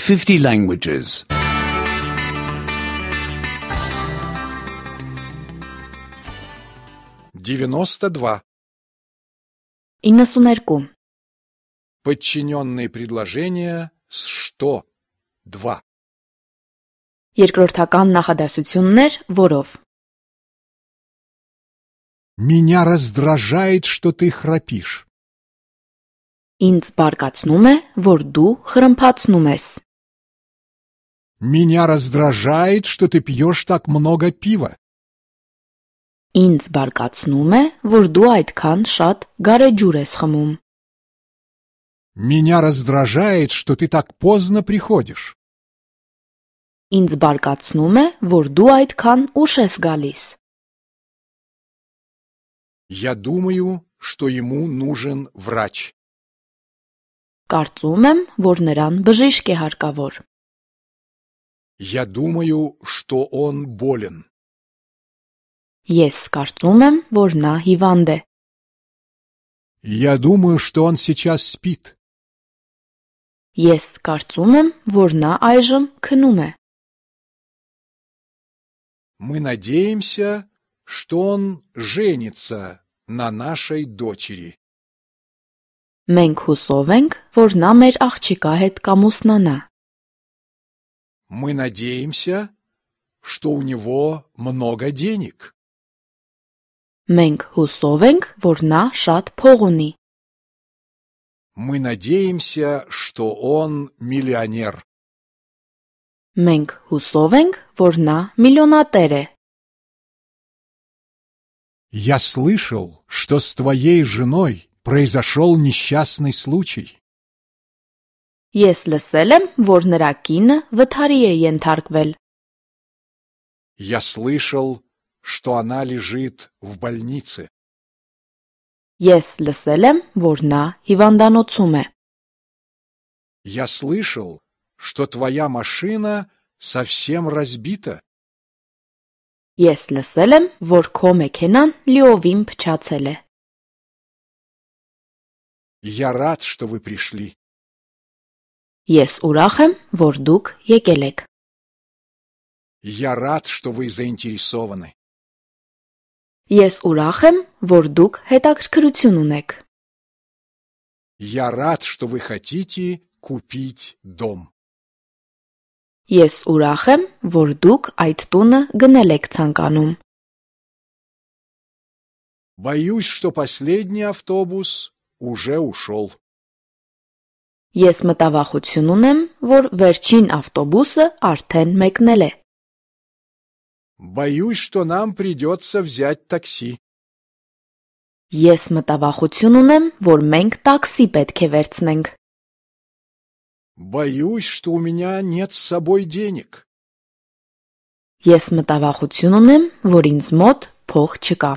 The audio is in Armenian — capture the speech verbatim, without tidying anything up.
fifty languages. девяносто два. իննսուներկու Подчиненные предложения с что? Два. Երկրորդական նախադասություններ, որով Меня раздражает, что ты храпишь. Ինձ բարկացնում է, որ դու խրմփացնում ես. Меня раздражает, что ты пьешь так много пива. Ինձ բարկացնում է, որ դու այդքան շատ գարեջուր ես խմում. Меня раздражает, что ты так поздно приходишь. Ինձ բարկացնում է, որ դու այդքան ուշ ես գալիս. Я думаю, что ему нужен врач. Կարծում եմ, որ նրան բժիշկ է հարկավոր. Я думаю, что он болен. Ես կարծում եմ, որ նա հիվանդ է. Я думаю, что он сейчас спит. Ես կարծում եմ, որ նա այժմ քնում է. Мы надеемся, что он женится на нашей дочери. Մենք հուսով ենք, որ նա մեր աղջիկա հետ կամուսնանա. Мы надеемся, что у него много денег. Մենք հուսով ենք, որ նա շատ փող ունի. Мы надеемся, что он миллионер. Մենք հուսով ենք, որ նա միլիոնատեր է. Я слышал, что с твоей женой произошел несчастный случай. Ես լսել եմ, որ նրա կինը վթարի է ենթարկվել. Я слышал, что она лежит в больнице. Ես լսել եմ, որ նա հիվանդանոցում է. Я слышал, что твоя машина совсем разбита. Ես լսել եմ, որ քո մեքենան լիովին փչացել է. Я рад, что вы пришли. Ես ուրախ եմ, որ դուք եկել եք. Я рад, что вы заинтересованы. Ես ուրախ եմ, որ դուք հետաքրքրություն ունեք. Я рад, что вы хотите купить дом. Ես ուրախ եմ, որ դուք այդ տունը գնել եք ցանկանում. Боюсь, что последний автобус уже ушел. Ես մտավախություն ունեմ, որ վերջին ավտոբուսը արդեն մեկնել է. Боюсь, что нам придется взять такси. Ես մտավախություն ունեմ, որ մենք տաքսի պետք է վերցնենք. Боюсь, что у меня нет с собой денег. Ես մտավախություն ունեմ, որ ինձ մոտ փող չկա.